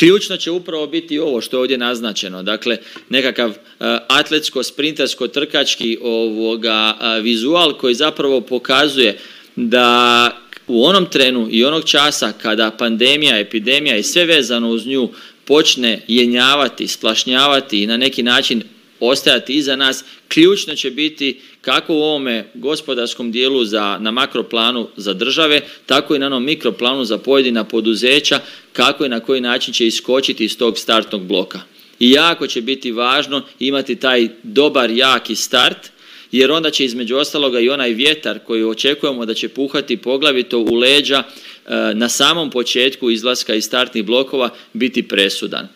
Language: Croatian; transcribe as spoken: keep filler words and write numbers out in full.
Ključno će upravo biti ovo što je ovdje naznačeno, dakle nekakav uh, atletsko-sprintersko-trkački ovoga uh, vizual koji zapravo pokazuje da u onom trenu i onog časa kada pandemija, epidemija i sve vezano uz nju počne jenjavati, splašnjavati i na neki način ostajati iza nas, ključno će biti kako u ovome gospodarskom dijelu za, na makroplanu za države, tako i na onom mikroplanu za pojedina poduzeća, kako i na koji način će iskočiti iz tog startnog bloka. I jako će biti važno imati taj dobar, jaki start, jer onda će između ostaloga i onaj vjetar koji očekujemo da će puhati poglavito u leđa na samom početku izlaska iz startnih blokova biti presudan.